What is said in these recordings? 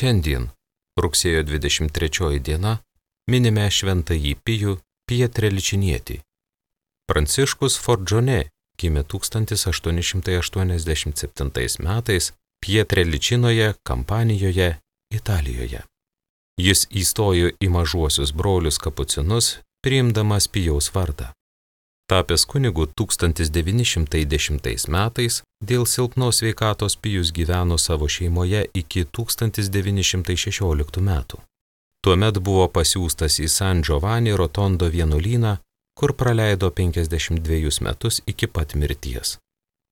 Šiandien, rugsėjo 23 diena, minime šventąjį Pijų Pietreličinietį. Pranciškus Forgione gimė 1887 metais Pietreličinoje, Kampanijoje, Italijoje. Jis įstojo į mažuosius brolius kapucinus, priimdamas Pijaus vardą. Tapęs kunigu 1910 metais, dėl silpnos sveikatos Pijus gyveno savo šeimoje iki 1916 metų. Tuomet buvo pasiųstas į San Giovanni Rotondo vienuolyną, kur praleido 52 metus iki pat mirties.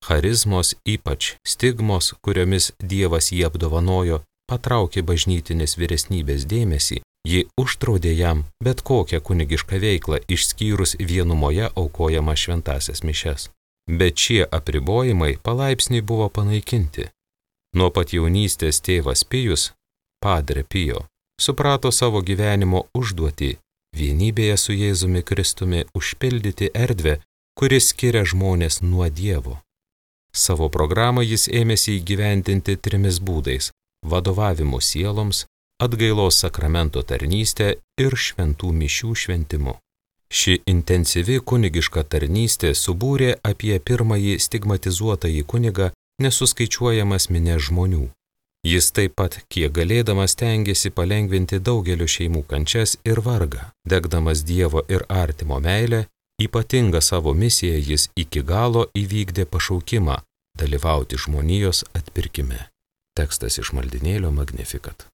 Charizmos, ypač stigmos, kuriomis Dievas jį apdovanojo, patraukė bažnytinės vyresnybės dėmesį, ji uždraudė jam bet kokią kunigišką veiklą išskyrus vienumoje aukojamą šventąsias mišias. Bet šie apribojimai palaipsniui buvo panaikinti. Nuo pat jaunystės tėvas Pijus, Padre Pio, suprato savo gyvenimo užduotį vienybėje su Jėzumi Kristumi užpildyti erdvę, kuris skiria žmonės nuo Dievo. Savo programą jis ėmėsi įgyvendinti 3 būdais – vadovavimu sieloms, atgailos sakramento tarnystė ir šventų mišių šventimu. Ši intensyvi kunigiška tarnystė subūrė apie pirmąjį stigmatizuotąjį kunigą nesuskaičiuojamas minias žmonių. Jis taip pat, kiek galėdamas, stengėsi palengvinti daugelio šeimų kančias ir vargą, degdamas Dievo ir artimo meilę, ypatingą savo misiją jis iki galo įvykdė pašaukimą dalyvauti žmonijos atpirkime. Tekstas iš maldynėlio Magnificat.